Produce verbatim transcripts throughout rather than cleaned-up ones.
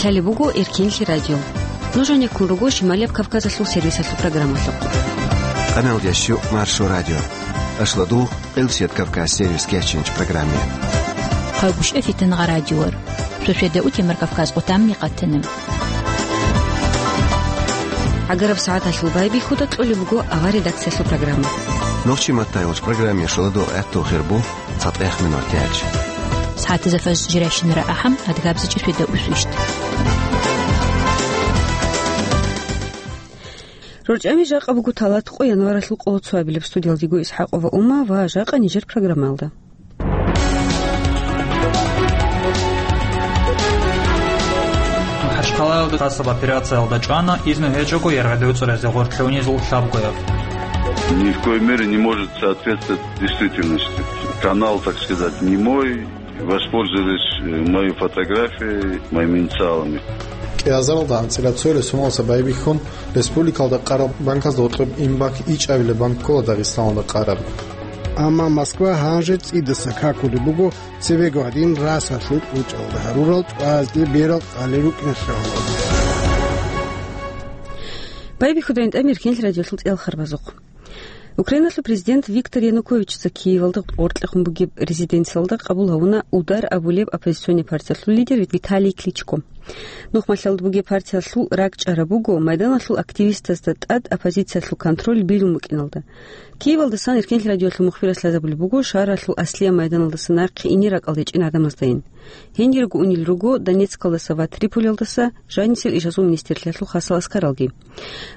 Лъалеб буго Эркенлъи радио. Нуж гьанеккун руго Шималияб Кавказалъул сервисалъул программалъухъ. Къаналдящу Маршо радио. Ашладугъ, Къилсият Кавказ сервис кечинч программе. Хъагушев Фитнагъа радиор. Шошеда утемар Кавказ къутамни къатанам. ГӀагараб сагӀаталъул байбихьуда кьолеб буго авар редакциялъул программа. Нохчи матаялъ программе шаладугъ гӀатту хирбу. ЦатӀех минут тяч. СагӀатазда фажр жирайщинара ахӀам, адгабзичӀи шведа усвищт. РорчӀами жакъа буго талат къо январалъул къоло цоабилеб. Студиялдего ИсхӀакъова Ума ва жакъа нижер программалда. МахӀачхъалаялда хасаб операциялда чӀвана, изну гьечӀого яргъадев цӀуразе гъоркье унизул лъабгояб. Ни в коей мере не может соответствовать действительности. Канал, так сказать, не мой. Воспользовались, э, моей фотографией, моими инициалами. КӀиазаралда анцӀила цоялъ соналдаса байбихьун, республикалда къараб банкалда гьоркьоб инбанк ичӀабилеб банк ккола Дагъистаналда къараб. Амма Москва гьанже цӀидаса какулеб буго цебего гьадин расалъул кьучӀалда гьарурал тӀвазде берал къалел рукӀин хъалалда. Байбихьудайин тӀамир Эркенлъи радиолъул цӀел харбазухъ. Украиналъул президент Виктор Януковичица Киевалда гъоркьехун бугеб резиденциялда къабул гьавуна «Удар» абулеб оппозиционный партиялъул лидер Виталий Кличко. Нухмалъалда бугеб партиялъул ракӀчӀараб буго майданалъул активистазда тӀад оппозициялъул контроль билун букӀиналда. Киевалдасан Эркенлъи радиоялъул мухбирас лъазабулеб буго шагьаралъул аслияб майданалдаса нахъе ине ракӀалде чӀин гӀадамаздайин. Гьенирго унел руго Донецкалдаса ва Триполиялдаса жанисел ишазул министрлъиялъул хасал аскаралги.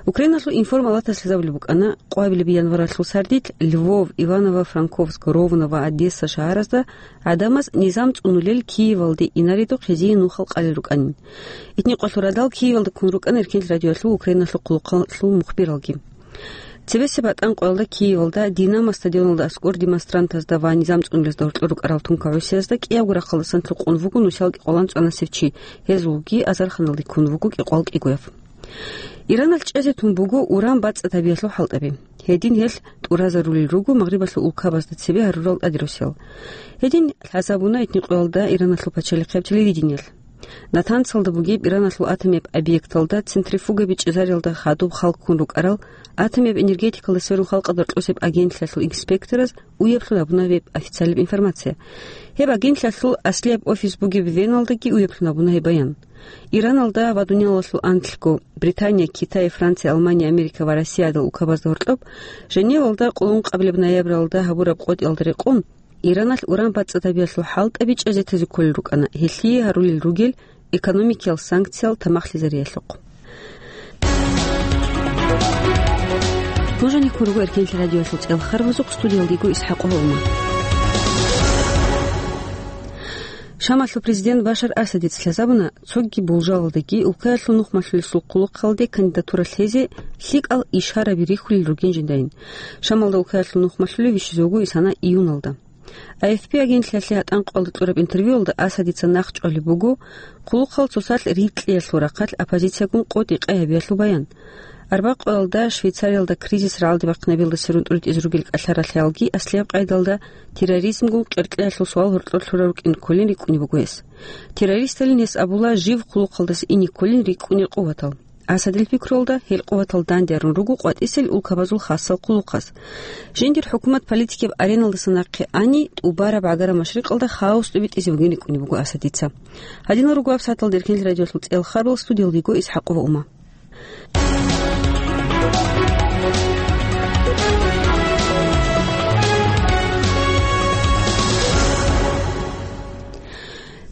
Украиналъул информалатас лъазабулеб букӀана, къвабилеб январалъул сардилъ Львов, Иваново-Франковск, Ровно ва Одесса шагьаразда гӀадамаз низам цӀунулел Киевалде инаредухъ гьезие нухал къалел рукӀанин. Итни къвалъул радал Киевалда ккун рукӀана Эркенлъи радиоялъул Украиналъул хъулухъалъул мухбиралги. Цебесеб батӀан къоялда Киевалда Динамо стадионалда аскӀор демонстрантазда ва низам цӀунулезда гьоркьор рукӀарал тункагӀусиязда кӀиябго рахъалдасан лъукъун вуго нусиялги къолан цӀанасев чи, гьезулги азарханалде ккун вуго кӀикъвал кӀигояв. Иранал чӀезе тун буго уран бацӀцӀадабиялъул хӀалтӀаби. Гьедин гьелъ тӀуразарулел руго Магърибалъул улкабазда цебе гьарурал тӀадирусел. Гьедин лъазабуна итни къоялда Ираналъул пачалихъияб телевидениялъ. Натансалда бугеб Ираналъул атомияб объекталда центрифугаби чӀезариялда хадуб халккун рукӀарал атомияб энергетикалда сверун халкъалда рокьосеб агентлъиялъул инспектораз уяблъун гьабуна гьеб официалияб информация. Гьеб агентлъиялъул аслияб офис бугеб Веналдаги уяблъун гьабуна гьеб баян. Ираналда ва дуниялалъул анлъго Британия, Китай, Франция, Алмания, Америка ва Россиядал улкабазда гьоркьоб Женевалда къулун къабилеб ноябралда гьабураб къотӀиялда рекъон, Ираналъ уран бацӀцӀадабиялъул хӀалтӀаби чӀезетазе кколел рукӀана, гьелъие гьарулел ругел экономикиял санкциял тамахлъизариялъухъ. Нуж гьанеккун руго Эркенлъи радиоялъул цӀел харбазухъ, студиялдего ИсхӀакъова Ума. Шамалъул президент Башар Асадица лъазабуна, цоги болжалалдаги улкаялъул нухмалъулесул хъулухъалде кандидатура лъезе лъикӀал ишараби рихьулел ругин жиндайин. Шамалда улкаялъул нухмалъулев вищизе вуго исана июналда. А Эф Пи агентлъиялъе гьатӀан къоялда кьураб интервьюялда Асадица нахъчӀвалеб буго, хъулухъал цоцалъ рикьиялъул рахъалъ оппозициягун къотӀи-къай гьабиялъул баян. Арбакъоялда Швейцариялда кризис рагӀалде бахъинабиялда сверун тӀуритӀизе ругел кӀалъаралъиялги аслияб къайдалда терроризмгун къеркьеялъул суал гьоркьор лъурал рукӀин кколин рикӀкӀунеб буго гьес. Террористалин гьес абула жив хъулухъалдаса ине кколин рикӀкӀунел къуватал. Асадил пикруялда, гьел къуватал данде арун руго къватӀисел улкабазул хасал хъулухъаз. Жиндир хӀукумат политикияб ареналдаса нахъе ани, тӀубараб гӀагараб машрикъалда хаос тӀубитӀизе бугин рикӀкӀунеб буго Асадица. Гьадинал руго гьаб сагӀаталда Эркенлъи радиоялъул цӀел харбал, студиялдего ИсхӀакъова Ума.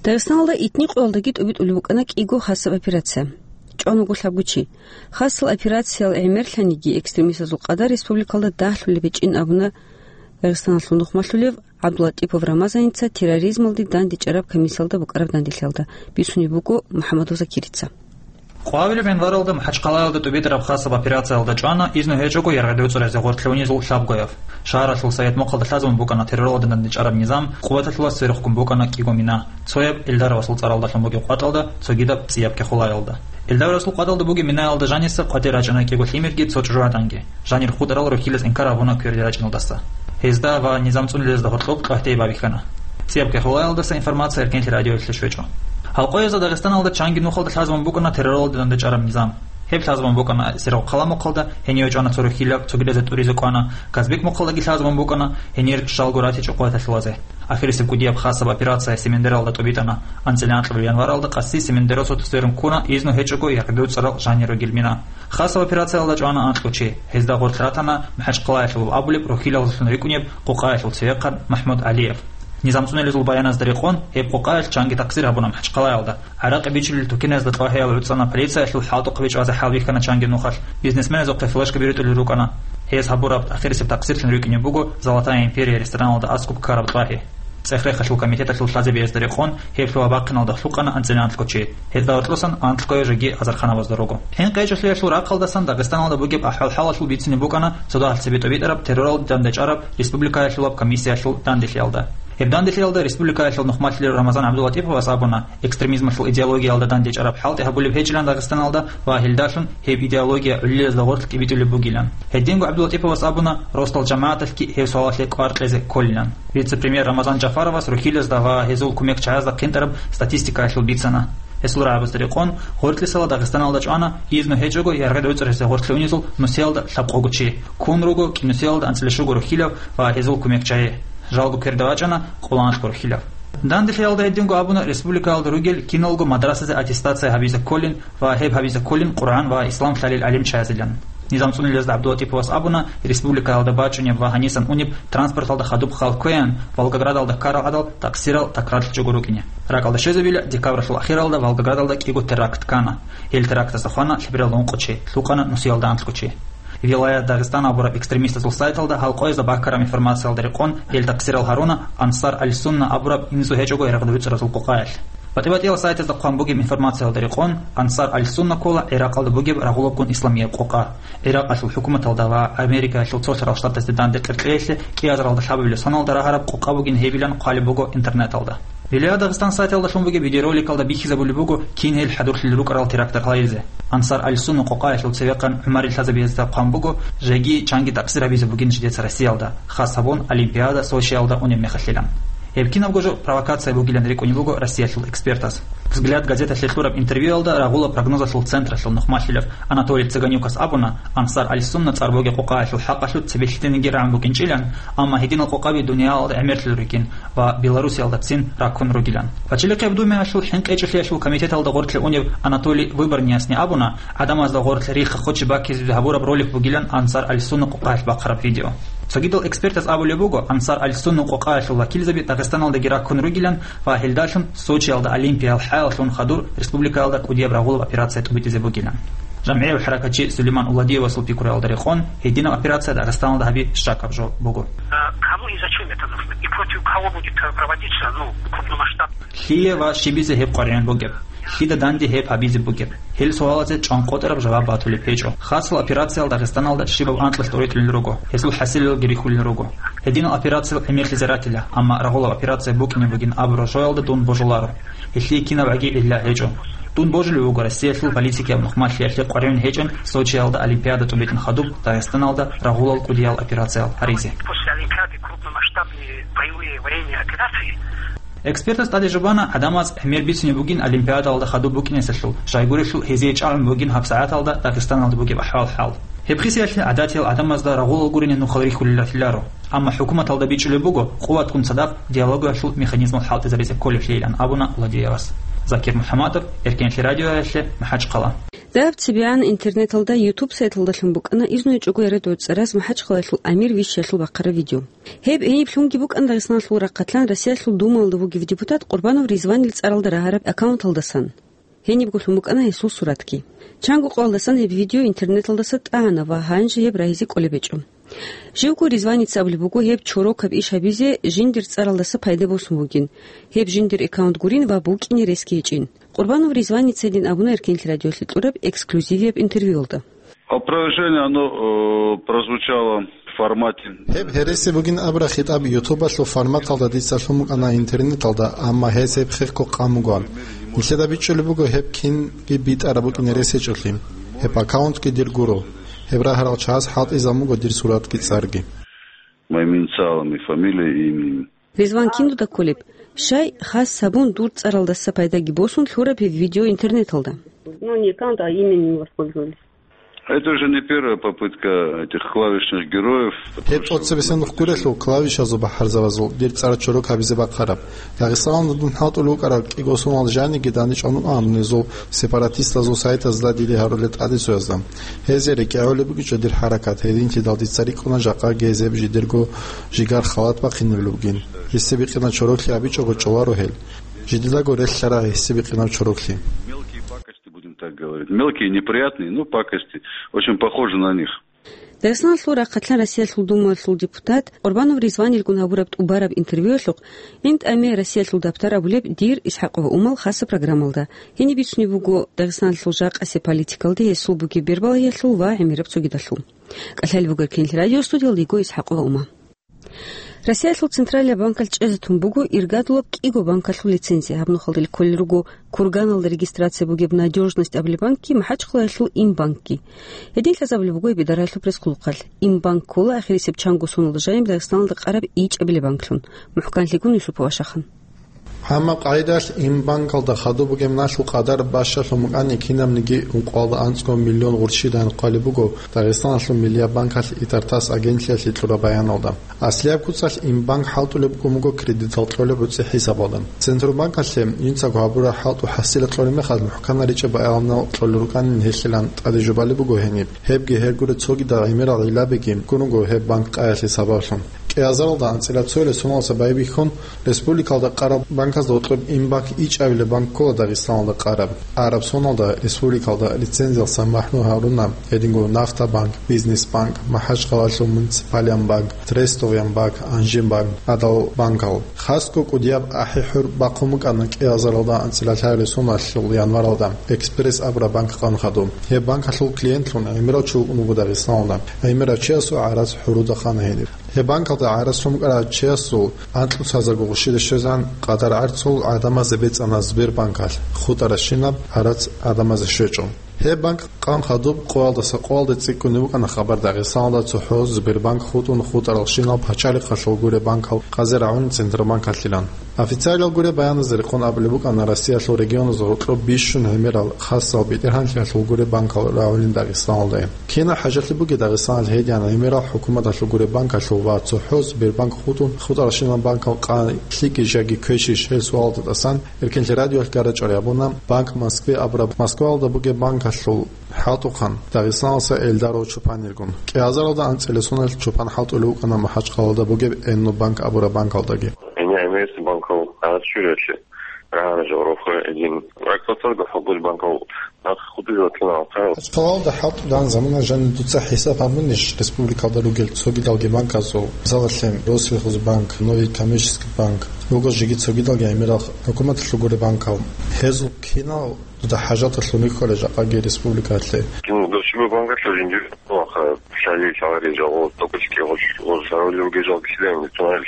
Дагъистаналда итни къоялдаги тӀубитӀулеб букӀана кӀиго хасаб операция. ЧӀван вуго лъабго чи. Хасал операциял гӀемерлъаниги экстремистазул къадар республикалда дагьлъулеб гьечӀин абуна Дагъистаналъул нухмалъулев ГӀабдулатӀипов Рамазаница терроризмалде дандечӀараб комиссиялда букӀараб данделъиялда, бицунеб буго МухӀамадов Закирица. Къвабилеб январалда МахӀачхъалаялда тӀубитӀараб хасаб операциялда чӀвана изну гьечӀого яргъадев цӀуразе гъоркье унизул лъабгояв. Шагьаралъул Совет Мохъалда лъазабун букӀана терроралда дандечӀараб низам, къуваталъулас церехъгун букӀана кӀиго мина, цояб Эльдаровасул цӀаралдалъун бугеб къватӀалда, цогидаб ЦӀияб Кехулаялда. Эльдаровасул къватӀалда бугеб минаялда жаниса къватӀир рачӀана кӀиго лъимерги цо чӀужугӀаданги. Жанир хутӀарал рухьилас инкар гьабуна кверде рачӀиналдаса. Гьезда ва низам цӀунулезда гьоркьоб къагьтей бабихьана. ЦӀияб Кехулаялдаса информация Эркенлъи радиоялъе щвечӀо. Гьалкъоязда Дагъистаналда чанги нухалда лъазабун букӀана терроралда дандечӀараб низам. Гьеб лъазабун букӀана Сергъ-Хъала мухъалда, гьенив чӀвана цо рухьилав, цогидазе тӀуризе кӀвана, Казбек мухъалдаги лъазабун букӀана, гьенир жалго ратичӀо къваталъулазе. Ахирисеб кӀудияб хасаб операция Семендералда тӀубитӀана. АнцӀила анкьабилеб январалда къаси Семендерасул сверун ккуна изну гьечӀого яргъдуцӀарал жанир ругел мина. Хасаб операциялда чӀвана анкьго чи. Гьезда гъорлъ ратана МахӀачхъалаялъул абулеб рухьилалдалъун рикӀкӀунеб къукъаялъул цевехъан МахӀмуд ГӀалиев. НизамцӀуналезул баяназда рекъон, гьеб къукъаялъ чанги такъсир гьабуна МахӀачхъалаялда. ГӀаракъи бичулел тукеназда кьвагьиялъ гӀуцӀана полицияялъул хӀалтӀухъ бичӀчӀазе хӀалбихьана чанги нухалъ. Бизнесменазухъе флешка биритӀулел рукӀана. Гьез гьабураб ахирисеб такъсирлъун рикӀкӀунеб буго «Золотая империя» рестораналда аскӀоб ккараб кьвагьи. ЦӀех-рехалъул комитеталъул лъазабиязда рекъон, гьеб лъугьа-бахъиналда хӀукъана анцӀила анкьго чи. Гьезда гьоркьосан анкьгояв жеги азарханабазда руго. ХӀинкъи гьечӀолъиялъул рахъалдасан Дагъистаналда бугеб ахӀвал-хӀалалъул бицине букӀана цо дагьал цебе тӀубитӀараб терроралде дандечӀараб республикаялъулаб комиссиялъул данделъиялда. Гьеб данделъиялда республикаялъул нухмалъулел Рамазан ГӀабдулатӀиповас абуна, экстремизмалъул идеологиялда дандечӀараб хӀалтӀи гьабулеб гьечӀилан Дагъистаналда ва гьелдалъун гьеб идеология гӀулилазда гъорлъ тӀибитӀулеб бугилан. Гьединго ГӀабдулатӀиповас абуна, росдал жамагӀаталъги гьев суалалъе кӀвар кьезе кколилан. Вице-премьер Рамазан Жафаровас рухьилазда ва гьезул кумекчагӀазда хъинтӀараб статистикаялъул бицана. Гьесул рагӀабазда рекъон, гъоркьлъисала Дагъистаналда чӀвана изну гьечӀого яргъдуцӀаразе гъорлъе унезул нусиялда лъабкъого чи. Ккун руго кӀинусиялда анцӀила щуго рухьилав ва гьезул кумекчагӀи. Жалго кверда вачӀана къоло анкьго рухьилав. Данделъиялда гьединго абуна республикаялда ругел киналго мадрасазе аттестация гьабизе кколин ва гьеб гьабизе кколин Къуръан ва ислам лъалел гӀалимчагӀазилан. НизамцӀуналезда ГӀабдулатӀиповас абуна, республикаялда бачӀунеб ва гьанисан унеб транспорталда хадуб хал кквеян, Волгоградалда ккарал гӀадал такъсирал такрарлъичӀого рукӀине. РакӀалде щвезабила, декабралъул ахиралда Волгоградалда кӀиго теракт ккана. Гьел терактазда хвана лъеберал ункъо чи, лъукъана нусиялда анкьго чи. Вилаят Дагъистан абураб экстремистазул сайталда гьалкъоязда баккараб информациялда рекъон, гьел такъсирал гьаруна Ансар аль-Сунна абураб инсу гьечӀого яргъдуцӀаразул къукъаялъ. ПатӀи-батӀиял сайтазда хъван бугеб информациялда рекъон, Ансар аль-Сунна ккола ГӀиракъалда бугеб рагъулабгун исламияб къукъа. ГӀиракъалъул хӀукуматалда ва Америкаялъул Цолъарал Штатазде данде къеркьеялъе кӀиазаралда лъабабилеб соналда рагьараб къукъа бугин гьебилан хъвалеб буго интернеталда. Вилаят Дагъистан сайталда лъун бугеб видеороликалда бихьизабулеб буго кин гьел хӀадурлъи рукӀарал терактар гьайизе. Ансар аль-Сунна къукъаялъул цевехъан гӀумарил лъазабиязда хъван буго, жеги чанги такъсир гьабизе бугин жидеца Россиялда, хас гьабун Олимпиада Сочиялда унеб мехалъилан. Гьеб кинабго жо провокация бугилан рикӀкӀунеб буго Россиялъул экспертаз. «Взгляд» газеталъе кьураб интервьюялда рагъула прогнозалъул централъул нухмалъулев Анатолий Цыганюкас абуна, Ансар аль-Сунна цӀар бугеб къукъаялъул хӀакъалъулъ цебе лъитениги рагӀун букӀинчӀилан, амма гьединал къукъаби дуниялалда гӀемерлъун ругин ва Белоруссиялдацин раккун ругилан. Пачалихъияб Думаялъул хӀинкъи гьечӀолъиялъул комитеталда гъорлъе унев Анатолий Выборнясни абуна, гӀадамазда гъорлъ рихха хочи баккизеги гьабураб ролик бугилан Ансар аль-Сунна къукъаялъ бахъараб видео. Цогидал экспертаз абулеб буго, Ансар аль-Сунна къукъаялъул вакилзаби Дагъистаналдаги раккун ругилан ва гьелдалъун Сочиялда Олимпиял хӀаяллъун хадур республикаялда кӀудияб рагъулаб операция тӀубитӀизе бугилан. ЖамгӀияв хӀаракатчи Сулейман Уладиевасул пикруялда рекъон, гьединаб операция Дагъистаналда гьаби щакаб жо буго. А кому и зачем это нужно? И против кого будет, э, проводиться, ну, крупномасштабно? Лъие ва щибизе гьеб къваригӀун бугеб? Лъида данде гьеб гьабизе бугеб? Гьел суалазе чӀванкъотӀараб жаваб батулеб гьечӀо. Хасал операциял Дагъистаналда щибаб анкьалъ тӀоритӀулел руго, гьезул хӀасилалги рихьулел руго. Гьединал операциял гӀемерлъизе ратила, амма рагъулаб операция букӀине бугин абураб жоялда дун божуларо. Гьелъие кинабгӀаги гӀилла гьечӀо. Дун божулев вуго Россиялъул политикияб нухмалъиялъе къваригӀун гьечӀин Сочиялда Олимпиада тӀубитӀун хадуб Дагъистаналда рагъулал кӀудиял операциялъ гьаризе. После Олимпиады крупномасштабные боевые военные операции. Экспертас тӀаде жубана, гӀадамаз гӀемер бицине бугин Олимпиадалда хадуб букӀинесалъул, щайгурелъул гьезие чӀагӀун бугин гьабсагӀаталда Дагъистаналда бугеб ахӀвал-хӀал. Гьеб хисиялъе гӀадатиял гӀадамазда рагъулал гурине нухал рихьулел ратиларо. Амма хӀукуматалда бичӀчӀулеб буго, къуватгун цадахъ диалогиялъул механизмал хӀалтӀизаризе кколеблъейилан абуна Владеевас. Закир МухӀаммадов, Эркенлъи радиоялъе, МахӀачхъала. Дагьаб цебегӀан интернеталда YouTube сайталдалъун букӀана изну гьечӀого яргъдуцӀараз МахӀачхъалаялъул амир вищиялъул бахъараб видео. Гьеб гьениблъунги букӀана Дагъистаналъул рахъалъан Россиялъул Думаялда вугев депутат Къурбанов Ризванил цӀаралда рагьараб аккаунталдасан. Гьенибго лъун букӀана гьесул суратги. Чанго къоялдасан гьеб видео интернеталдаса тӀагӀана ва гьанже гьеб рагьизе кӀолеб гьечӀо. Живго Ризваница абулеб буго гьеб чорокаб иш гьабизе жиндир цӀаралдаса пайда босун бугин, гьеб жиндир аккаунт гурин ва букӀине ресги гьечӀин. Къурбанов Ризваница гьедин абуна Эркенлъи радиолъе кьураб эксклюзивияб интервьюялда. Опровержение, оно, э, прозвучало в формате. Гьеб гьереси бугин абураб хитӀаб ютубалъул форматалда дица лъун букӀана интернеталда, амма гьес гьеб хехго къан бугоан. Нилъеда бичӀчӀулеб буго гьеб кинги битӀараб букӀине рес гьечӀолъи. Гьеб аккаунтги дир гуро. Гьеб рагьарал чагӀаз хӀалтӀизабун буго дир суратги цӀарги. Моими инициалами, фамилией и именем. Ризван кин дуда кколеб? Щай, хас гьабун, дур цӀаралдаса пайдаги босун лъураб гьеб видео интернеталда. Ну, не аккаунт, а имя не воспользовались. Это уже не первая попытка этих клавишных героев. Гьеб тӀоцебесенухъ гурелъул клавишазул бахӀарзабазул дир цӀар чорок гьабизе бахъараб. Дагъистаналда дун хӀалтӀулев вукӀарал кӀиго соналъ жаниги данде чӀванун ана гьезул сепаратистазул сайтазда диде гьарулел тӀадегӀанасда. Гьезие рекӀелъулеб бугичӀо дир хӀаракат, гьединлъидал дица рикӀкӀуна жакъа гьезие жидерго жигар халат бахъинабулеб бугин. Гьесие бикъина чороклъи абичӀого чӀоларо гьел. Жидедаго релълъарай гьесие бикъинаб чороклъи. Мелкие пакости, будем так говорить. Мелкие, неприятные, но пакости. Очень похожи на них. Дагъистаналъул рахъалъан Россиялъул Думаялъул депутат Къурбанов Ризванилгун гьабураб тӀубараб интервьюялъухъ, ГӀинтӀаме Россиялъул дабтар абулеб дир, ИсхӀакъова Умал, хасаб программалда. Гьениб бицунеб буго Дагъистаналъул жакъасеб политикалде гьесул бугеб бербалагьиялъул ва гӀемераб цогидалъул. КӀалъалеб буго Эркенлъи радио, студиялда йиго ИсхӀакъова Ума. Россиялъул Централияб банкалъ чӀезе тун буго иргадулаб кӀиго банкалъул лицензия. Гьаб нухалде кколел руго Курганалда регистрация бугеб «Надёжность» абулеб банкги, МахӀачхъалаялъул Инбанкги. Гьедин лъазабулеб буго гьеб идараялъул пресс-хъулухъалъ. Инбанк ккола ахирисеб чанго соналда жаниб Дагъистаналда къараб ичӀабилеб банклъун. МухӀканлъигун Юсупов Ашахан. Гьаниб къагӀидалъ Инбанкалда хадуб бугеб налъул къадар бащалъун букӀани, кинабниги ункъоялда анцӀго миллион гъурщидайин хъвалеб буго Дагъистаналъул Миллияб банкалъ ИТАРТАСС агентлъиялъе кьураб баяналда. Аслияб куцалъ Инбанк хӀалтӀулеб букӀун буго кредитал кьолеб гӀуцӀи хӀисабалда. Центробанкалъе жинцаго гьабураб хӀалтӀу хӀасилал кьолеб мехалъ, мухӀканал ричӀчӀаб баянал кьолел рукӀанин гьелъилан тӀаде жубалеб буго гьениб. Гьебги гьергури цогидал гӀемерал гӀиллабиги ккун руго гьеб банк къаялъе сабаблъун. КӀиазаралда анцӀила цоялъ соналдаса байбихьун, республикалда къараб банказда гьоркьоб Инбанк ичӀабилеб банк ккола Дагъистаналда къараб. Араб соналда республикалда лицензиялдаса махӀрум гьаруна гьединго Нафтабанк, Бизнесбанк, МахӀачхъалаялъул Муниципалияб банк, Трестовияб банк, Анжинбанк, Адал банкал. Хасго кӀудияб ахӀи-хӀур бахъун букӀана кӀиазаралда анцӀила лъабабилеб соналъул январалда Экспресс абураб банк къан хадуб. Гьеб банкалъул клиентлъун гӀемерав чи вукӀун вуго Дагъистаналда. ГӀемерав чиясул гӀарац хӀуруда хана гьениб. Гьеб банкалда гӀарац лъун букӀарав чиясул анкьго цоязарго гъурщида щвезегӀан къадар гӀарцул гӀадамазе бецӀана Сбербанкалъ, хутӀарабщинаб гӀарац гӀадамазе щвечӀо. Гьеб банк къан хадуб къоялдаса къоялде цӀикӀкӀунеб букӀана хабар Дагъистаналда цохӀо Сбербанк хутӀун хутӀаралщинал пачалихъалъул гуреб банкал къазе рагӀун Центробанкалъилан. Официалиял гуреб баяназе рекъон абулеб букӀана Россиялъул регионазда гьоркьоб бищун гӀемерал хасал бетӀергьанлъиялъул гуреб банкал рагӀулин Дагъистаналдайин. Кинаб хӀажатлъи бугеб Дагъистаналъ гьедигӀан гӀемерал хӀукуматалъул гуреб банкалъул ва цохӀо Сбербанк хутӀун хутӀаралщинал банкал къан лъикӀищ яги квешищ гьел суалалда тӀасан Эркенлъи радиоялъ гьаракь гьабуна Банк Москвы абураб Москваялда бугеб банкалъул хӀалтӀухъан Дагъистаналдаса Эльдаров Чупанилгун. КӀиазаралда анцӀила соналъ Чупан хӀалтӀулев вукӀана МахӀачхъалаялда бугеб Энну банк абураб банкалдаги. Гьениб гӀемерисеб банкал гӀарац щвелалъе рагӀана жаваб рохе гьедин. Ракьалдасаго хӀалтӀулеб банкал нахъ хутӀизе ватана алкъарал. МахӀачхъалаялда хӀалтӀулеб замана жаниб дуца хӀисаб гьабунищ республикалда ругел цогидалги банказул, мисалалъе, Россельхозбанк, Новый коммерческий банк, руго жеги цогидалги гӀемерал хӀукуматалъул гуреб банкал? Гьезул кинал дуда хӀажаталъун рихьулел жакъаги республикалъе? Кин досиба банкалъул жиндир ваха шали шагьари жагъо токочки гъош гъош шагьарулев гежал кишлен тунал.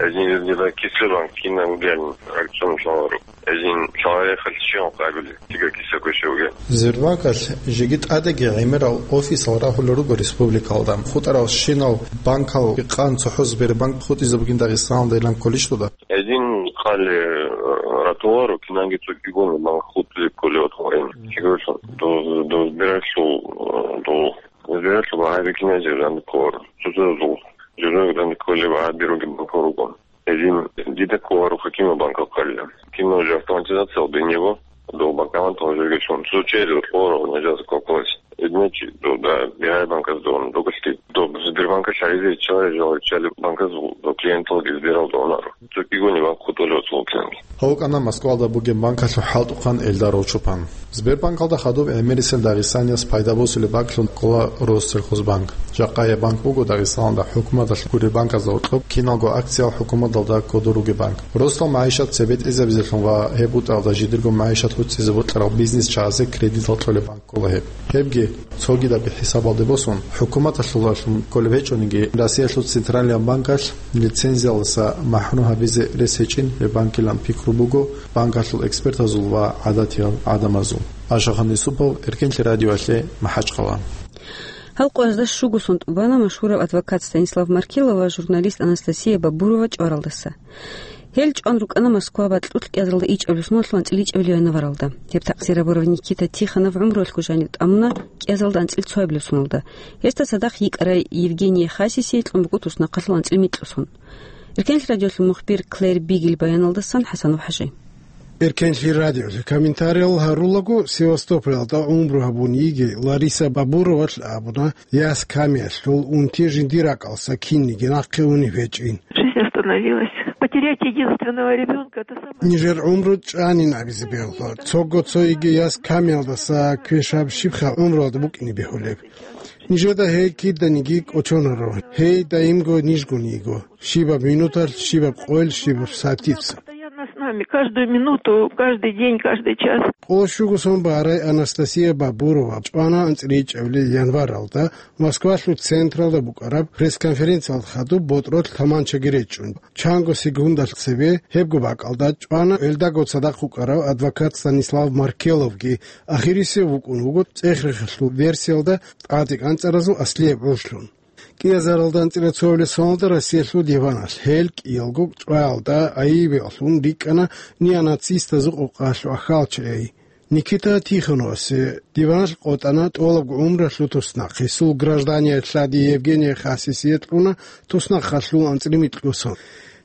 Эзин жиндира кисле банк кина угел акцион шагьару. Эзин шагьари халчион къабил тига киса квешевге. Сбербанкалъ жеги тӀадеги гӀемерал офисал рагьулел руго республикалда. ХутӀаралщинал банкал къан цохӀо Сбербанк хутӀизе бугин Дагъистаналда илан кколищ дуда? Эзин хъали, э, ратуларо, кинанги цо кӀигони банк хутӀизе кколев отхорин. Чигорлъун. До, до Сбералъул, э, до Сбералъул багьаби киназе ран кколаро. Цо-цо зул. Журнал ран кколев багьаби руги банкал ругон. Эзин дида кколаро хакима банкал хъалила. Кино же автоматизация до него, до банкомата уже гечон. Цо через отхоров нельзя заколкалась. Значит, до, да, бирай банка сдон, до гости. До Сбербанка шаризе чалай жал чали банка сдо, до клиентал ги Сберал донар. Цо кигони банк хутулев цо клиент. Гьав вукӀана Москвалда бугеб банкалъул хӀалтӀухъан Эльдаров Чупан. Сбербанкалда хадуб гӀемерисел дагъистанияс пайда босулеб банклъун ккола Россельхозбанк. Жакъа гьеб банк буго Дагъистаналда хӀукуматалъ гуреб банказда гьоркьоб киналго акциял хӀукуматалда кодор ругеб банк. Росдал магӀишат цебетӀезабизелъун ва гьеб бутӀаралда жидерго магӀишат гӀуцӀизе бокьарал бизнесчагӀазе кредитал кьолеб банк ккола гьеб. Гьебги, цогидабги хӀисабалде босун, хӀукуматалъулалъун кколеб гьечӀониги, Россиялъул Централияб банкалъ лицензиялдаса махӀрум гьабизе рес гьечӀин гьеб банкилан пикру буго банкалъул экспертазул ва гӀадатиял гӀадамазул. Ашахан Юсупов, Эркенлъи радиоялъе, МахӀачхъала. Гьал къоязда щуго сон тӀубана машгьурав адвокат Станислав Маркелов ва журналист Анастасия Бабурова чӀваралдаса. Гьел чӀван рукӀана Москва бакьулъ кӀиазаралда ичӀабилеб соналъул анцӀила ичӀабилеб январалда. Гьеб такъзир гьабурав Никита Тихонов гӀумруялъго жаниб тӀамуна кӀиазаралда анцӀила цоабилеб соналда. Гьесда цадахъ йикӀарай Евгения Хасисие кьун буго туснахъалъул анцӀила микьго сон. Эркенлъи радиолъул мухбир Клэр Бигел баяналдасан ХӀасанов ХӀажи. Эркенлъи радиолъе комментариял гьарулаго, Севастополалда гӀумру гьабун йигей Лариса Бабуровалъ абуна, яс камиялъул унти жиндир ракӀалдаса кинниги нахъе унеб гьечӀин. Жизнь остановилась. Потерять единственного ребёнка — это самое... Нижер гӀумру чӀанин абизе бегьула. Цого цо йигей яс камиялдаса квешаб щибха гӀумруялда букӀине бегьулеб? Нижеда гьей киданиги кӀочонаро. Гьей даимго нижгун йиго. Щибаб минуталъ, щибаб къойл, щибаб сатица. Постоянно с нами, каждую минуту, каждый день, каждый час. Къоло щуго сон барай Анастасия Бабурова чӀвана анцӀила ичӀабилеб январалда Москвалъул централда букӀараб пресс-конференциялда хадуб ботӀролъ таманчаги речӀчӀун. Чанго секундалъ цебе гьебго бакӀалда чӀвана гьелдаго цадахъ вукӀарав адвокат Станислав Маркеловги, ахирисев вукӀун вуго цӀех-рехалъул версиялда тӀаде кӀанцӀаразул аслияб гӀужлъун. КӀиазаралда анцӀила цоабилеб соналда Россиялъул диваналъ гьел кӀиялго чӀваялда айибеялъун рикӀкӀана неонацистазул къокъалъул ахьалчагӀи. Никита Тихоновасе диваналъ къотӀана тӀолабго гӀумруялъул туснахъ, гьесул гражданият лъади Евгения Хасисие кьуна туснахъалъул анцӀила микьго сон.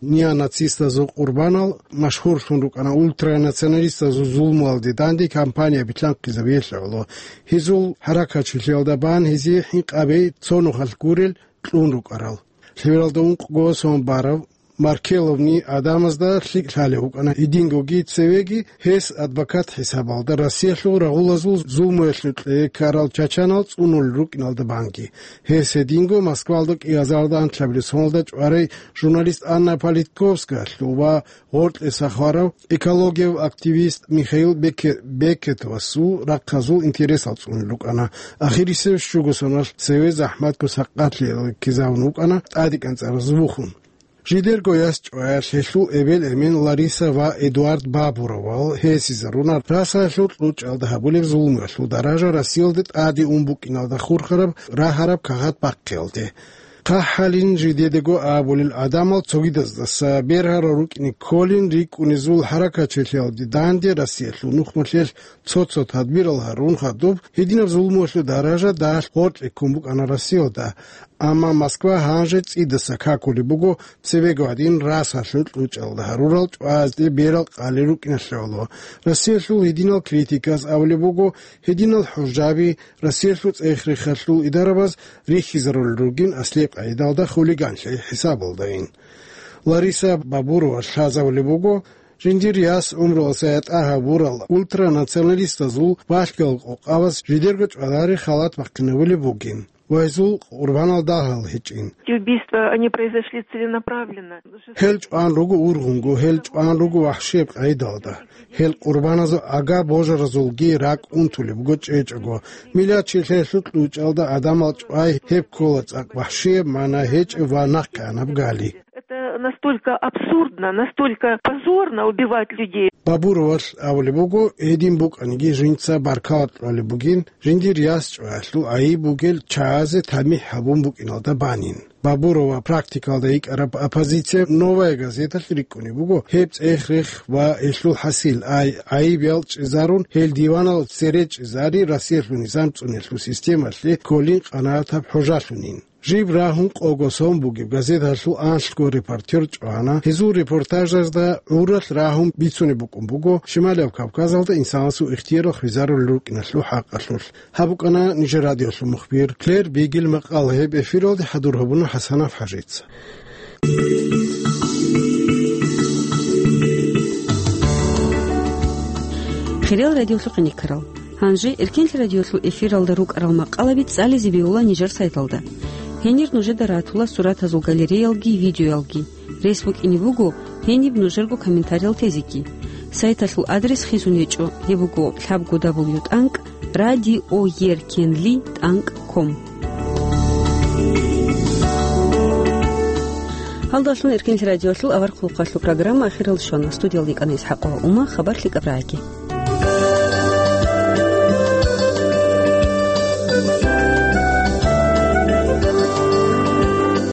Неонацистазул къурбанал машгьурлъун рукӀана ультранационалистазул зулмуялде данде кампания билълъанхъизабиялъ гӀоло. Гьезул хӀаракатчилъиялда бан гьезие хӀинкъабей цо нухалъ гурел кьун рукӀарал. Лъивалда ункъго сон барав Маркеловни гӀадамазда лъикӀ лъалев вукӀана гьедингоги цевеги, гьес адвокат хӀисабалда Россиялъул рагъулазул зулмуялъул кьее ккарал чачанал цӀунулел рукӀиналда банги. Гьес гьединго Москвалда кӀиазаралда анлъабилеб соналда чӀварай журналист Анна Политковскаялъул ва гъоркьеса хварав экологияв активист Михаил Бекке-, Беккетовасул рахъазул интересал цӀунулел рукӀана. Ахирисев щуго соналъ цеве захӀматго сакъатлъиялда ккезавун вукӀана тӀаде кӀанцӀаразул вухун. Жидерго яс чӀваялъ гьелъул эбел-эмен Лариса ва Эдуард Бабуровал гьесизаруна расаялъул кьучӀалда гьабулеб зулмуялъул даража Россиялде тӀаде ун букӀиналда хурхараб рагьараб кагъат бахъиялде. ХъахӀалин жидедаго абулел гӀадамал цогидаздаса бергьарал рукӀине кколин рикӀкӀунезул хӀаракатчилъиялде данде Россиялъул нухмалъелъ цо-цо тадбирал гьарун хадуб, гьединаб зулмуялъул даража дагьалъ гъоркье ккун букӀана Россиялда. Амма Москва гьанже цӀидаса какулеб буго цебего гьадин расалъул кьучӀалда гьарурал чӀваязде берал къалел рукӀиналъе гӀоло. Россиялъул гьединал критиказ абулеб буго, гьединал хӀужаби Россиялъул цӀех-рехалъул идарабаз рихьизарулел ругин аслияб къагӀидалда хулиганлъи хӀисабалдайин. Лариса Бабурова лъазабулеб буго, жиндир яс гӀумруялъ ятӀа гьабурал ультранационалистазул балъгал къокъабаз жидерго чӀвадари халат бахъинабулеб бугин ва гьезул къурбанал дагьал гьечӀин. Эти убийства, они произошли целенаправленно. Гьел чӀван руго ургъунго, гьел чӀван руго вахӀшияб къайдалда. Гьел къурбаназул ага божаразулги ракӀ унтулеб буго чӀечӀого. Миллатчилъиялъул кьучӀалда гӀадамал чӀвай гьеб ккола цӀакъ вахӀшияб, мана гьечӀеб ва нахъегӀанаб гали. Это настолько абсурдно, настолько позорно убивать людей. Бабуровалъ абулеб буго, гьедин букӀаниги жинца баркала кьолеб бугин, жиндир яс чӀваялъул гӀайиб бугел чагӀазе тамихӀ гьабун букӀиналда банин. Бабурова практикалда йикӀараб оппозиция «Новая газеталъ» рикӀкӀунеб буго, гьеб цӀех-рех ва гьелъул хӀасил ай гӀайиб ялчӀизарун, гьел диванал цере чӀезари Россиялъул низам цӀуниялъул системалъе кколин къанагӀатаб хӀужалъунин. Жиб рагьун къого сон бугеб газеталъул анлъго репортер чӀвана. Гьезул репортажазда гӀуралъ рагьун бицунеб букӀун буго Шималияб Кавказалда инсанасул ихтиярал хвезарулел рукӀиналъул хӀакъалъулъ. Гьаб букӀана нижер радиолъул мухбир Клэр Бигел макъала. Гьеб эфиралде хӀадур гьабуна ХӀасанов ХӀажица. Хириял радиолъухъе никарал. Гьанже Эркенлъи радиолъул эфиралда рукӀарал макъалаби цӀализе бегьула нижер сайталда. Гьенир нужеда ратула суратазул галереялги видеоялги. Рес букӀине буго гьениб нужерго комментариял тезеги. Сайталъул адрес хисун гьечӀо, гьеб буго лъабго дабл ю тӀанкӀ радиоеркенли тӀанкӀ ком. Гьалдалъун Эркенлъи радиолъул авар хъулухъалъул программа ахирал щвана. Студиялда йикӀана ИсхӀакъова Ума, хабар лъикӀаб рагӀаги.